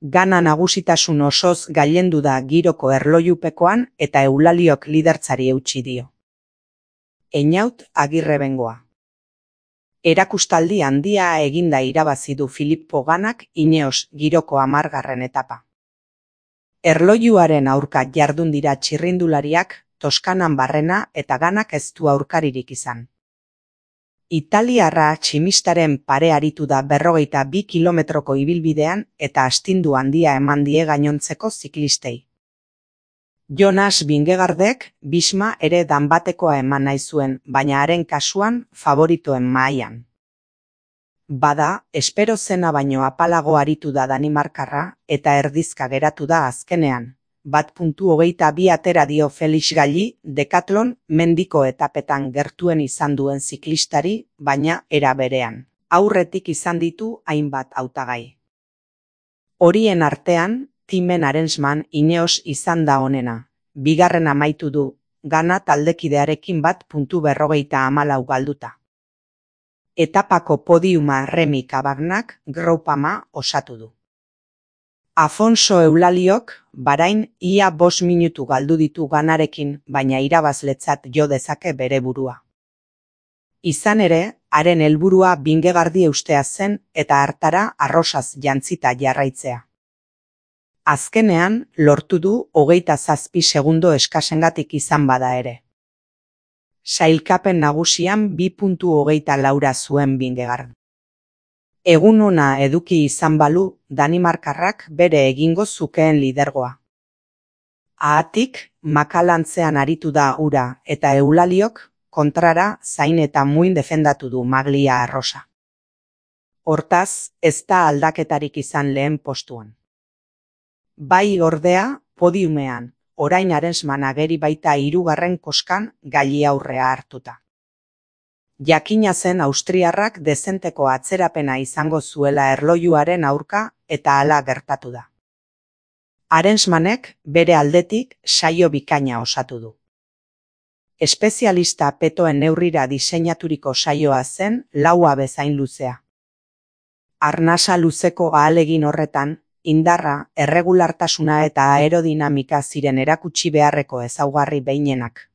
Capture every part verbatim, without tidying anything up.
Gana nagusitasun osoz gailendu da giroko erlojupekoan eta Eulaliok lidertzari eutsi dio. Einaut Agirre Bengoa. Erakustaldi handia eginda irabazi du Filippo Ganak Ineos giroko hamargarren etapa. Erlojuaren aurka jardun dira txirrindulariak, Toskanan barrena eta Ganak ez du aurkaririk izan. Italiarra tximistaren pare aritu da berrogeita bi kilometroko ibilbidean eta astindu handia eman die gainontzeko ziklistei. Jonas Vingegaardek Bisma ere danbatekoa eman nahi zuen, baina haren kasuan favoritoen mahaian. Bada, espero zena baino apalago aritu da Danimarkarra eta erdizka geratu da azkenean. Bat puntu hogeita bi atera dio Felix Galli, Decathlon mendiko etapetan gertuen izan duen ziklistari, baina era berean. Aurretik izan ditu hainbat hautagai. Horien artean, Timen Arensman Ineos izan da onena. Bigarren amaitu du, Gana taldekidearekin bat puntu berrogeita hamalau galduta. Etapako podiuma Remy Cabagnak Groupama osatu du. Afonso Eulaliok, Barain ia bost minutu galdu ditu Ganarekin, baina irabazletzat jo dezake bere burua. Izan ere, haren helburua Vingegaardi eustea zen eta hartara arrosaz jantzita jarraitzea. Azkenean, lortu du hogeita zazpi segundo eskasengatik izan bada ere. Sailkapen nagusian bi puntu hogeita laura zuen Vingegaard. Egun ona eduki izan balu, Danimarkarrak bere egingo zukeen lidergoa. Ahatik, makalantzean aritu da ura eta Eulaliok kontrara zain eta muin defendatu du maglia arrosa. Hortaz, ez da aldaketarik izan lehen postuan. Bai ordea, podiumean, orain Arensman ageri baita hirugarren koskan Galli aurrea hartuta. Jakina zen austriarrak dezenteko atzerapena izango zuela erlojuaren aurka eta hala gertatu da. Arensmanek bere aldetik saio bikaina osatu du. Espezialista petoen neurrira diseinaturiko saioa zen laua bezain luzea. Arnasa luzeko ahalegin horretan, indarra, erregulartasuna eta aerodinamika ziren erakutsi beharreko ezaugarri behinenak.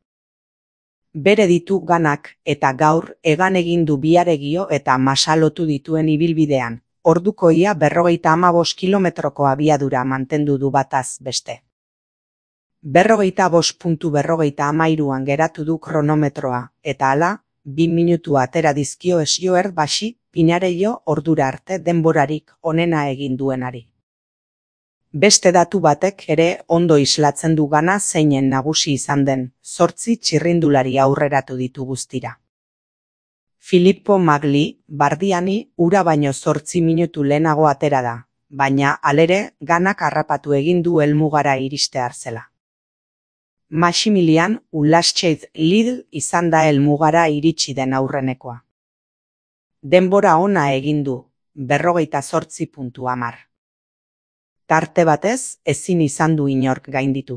Bere ditu Ganak eta gaur egan egin du biaregio eta masalotu dituen ibilbidean, orduko ia berrogeita hamabost kilometroko abiadura mantendu du bataz beste. Berrogeita bost puntu berrogeita hamairuan geratu du kronometroa, eta hala, bi minutu atera dizkio Esioer Basi Pinareio ordura arte denborarik onena egin duenari. Beste datu batek ere ondo islatzen du Gana zeinen nagusi izan den, zortzi txirrindulari aurreratu ditu guztira. Filippo Magli, Bardiani, ura baino zortzi minutu lehenago atera da, baina halere Ganak harrapatu egin du helmugara iristear zela. Maximilian Ulascheit Lidl izan da helmugara iritsi den aurrenekoa. Denbora ona egin du, berrogeita zortzi puntu hamar. Tarte batez, ezin izan du inork gainditu.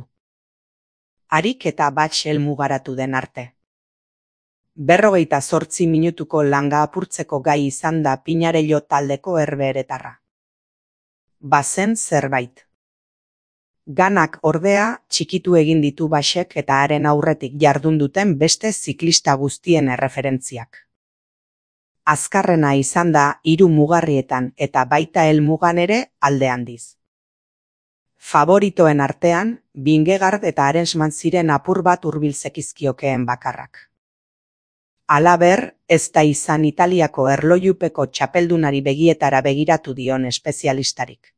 Harik eta batx helmugaratu den arte. Berrogeita zortzi minutuko langa apurtzeko gai izan da Pinareio taldeko herbeeretarra. Bazen zerbait. Ganak ordea txikitu egin ditu Basek eta haren aurretik jardun duten beste ziklista guztien erreferentziak. Azkarrena izan da hiru mugarrietan eta baita helmugan ere alde handiz. Favoritoen artean, Vingegaard eta Arensman ziren apur bat hurbil zekizkiokeen bakarrak. Halaber, ez da izan Italiako erlojupeko txapeldunari begietara begiratu dion espezialistarik.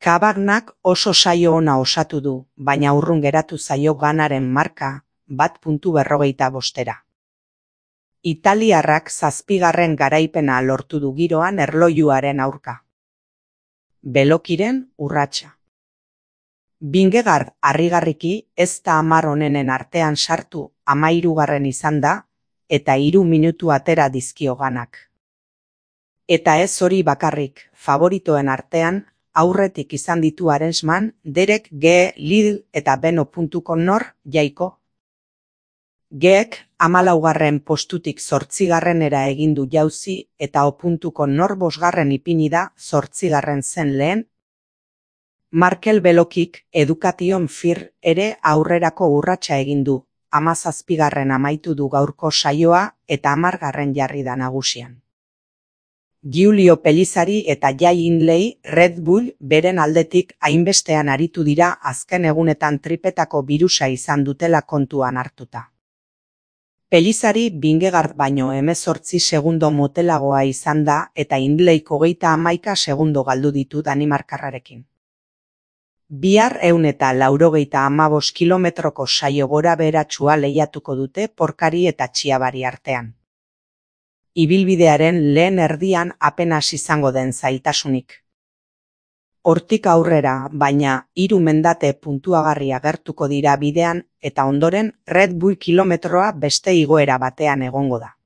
Cabagnak oso saio ona osatu du, baina urrun geratu zaio Ganaren marka, bat puntu berrogeita bostera. Italiarrak zazpigarren garaipena lortu du giroan erlojuaren aurka. Belokiren urratsa. Vingegaard harrigarriki ez da hamar onenen artean sartu hamahirugarren izan da, eta hiru minutu atera dizkio Ganak. Eta ez hori bakarrik, favoritoen artean, aurretik izan ditu Arensman, Derek G. Lidl eta Beno puntuko nor, jaiko. Geek hamalaugarren postutik zortzigarrenera egin du jauzi eta o puntuko nor bosgarren ipini da zortzigarren zen lehen, Markel Belokik Education Fir ere aurrerako urratsa egin du, hamazazpigarren amaitu du gaurko saioa eta hamargarren jarri da nagusian. Giulio Pellizzari eta Jay Hindley Red Bull beren aldetik hainbestean aritu dira azken egunetan tripetako birusa izan dutela kontuan hartuta. Pellizzari Vingegaard baino hemezortzi segundo motelagoa izan da eta Hindleyk hogeita hamaika segundo galdu ditu danimarkarrarekin. Bihar ehun eta laurogeita hamabost kilometroko saio gora beheratsua lehiatuko dute porkari eta txiabari artean. Ibilbidearen lehen erdian apenas izango den zailtasunik. Hortik aurrera, baina, hiru mendate puntuagarri agertuko dira bidean eta ondoren Red Bull kilometroa beste igoera batean egongo da.